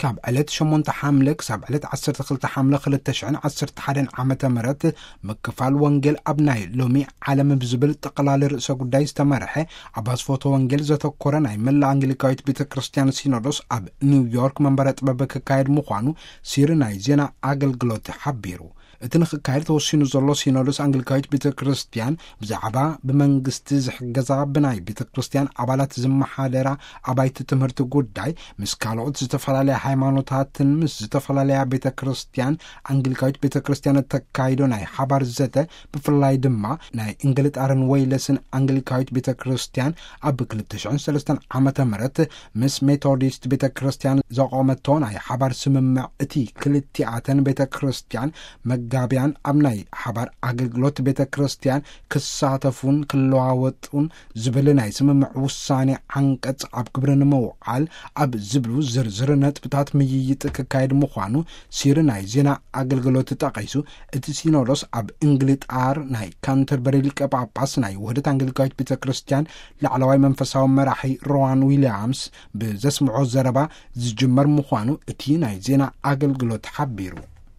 ካብ ዕለት ሸሞንተ ሓምለ ክሳብ ዕለት ዓሰርተ ክልተ ሓምለ ክልተ ሽሕን ዓሰርተ ሓደን ዓመተ ምህረት፣ ምክፋል ወንጌል ኣብ ናይ ሎሚ ዓለም ብዝብል ጠቕላሊ ርእሰ ጉዳይ ዝተመርሐ፣ ኣብ ኣስፎቶ ወንጌል ዘተኮረ ናይ መላእ ኣንግሊካዊት ቤተ ክርስቲያን ሲኖዶስ ኣብ ኒውዮርክ መንበረ ጥበብ ክካየድ ምዃኑ ሲሪ ናይ ዜና ኣገልግሎት ሓቢሩ። እቲ ንክካየድ ተወሲኑ ዘሎ፣ ሲኖዶስ ኣንግሊካዊት ቤተ ክርስቲያን ብዛዕባ ብመንግስቲ ዝሕገዛ፣ ብናይ ቤተ ክርስቲያን ኣባላት ዝመሓደራ ኣባይቲ ትምህርቲ ጉዳይ፣ ምስ ካልኦት ዝተፈላለያ ሃይማኖታትን ምስ ዝተፈላለያ ቤተ ክርስቲያን፣ ኣንግሊካዊት ቤተ ክርስቲያን እተካይዶ ናይ ሓባር ዘተ፣ ብፍላይ ድማ ናይ እንግልጣርን ወይለስን ኣንግሊካዊት ቤተ ክርስቲያን ኣብ ክልተ ሽሕን ሰለስተን ዓመተ ምህረት ምስ ሜቶዲስት ቤተ ክርስቲያን ዘቆመቶ ናይ ሓባር ስምምዕ፣ እቲ ክልቲኣተን ቤተ ክርስቲያን መጋብያን ኣብ ናይ ሓባር ኣገልግሎት ቤተ ክርስቲያን ክሳተፉን ክለዋወጡን ዝብል ናይ ስምምዕ ውሳኔ ዓንቀጽ ኣብ ግብሪ ንምውዓል ኣብ ዝብሉ ዝርዝር ነጥብታት ምይይጥ ክካየድ ምዃኑ ሲሪ ናይ ዜና ኣገልግሎት ጠቒሱ፣ እቲ ሲኖዶስ ኣብ እንግሊጣር ናይ ካንተርበሪ ሊቀ ጳጳስ ናይ ውህደት ኣንግሊካዊት ቤተ ክርስቲያን ላዕለዋይ መንፈሳዊ መራሒ ሮዋን ዊልያምስ ብዘስምዖ ዘረባ ዝጅመር ምዃኑ እቲ ናይ ዜና ኣገልግሎት ሓቢሩ።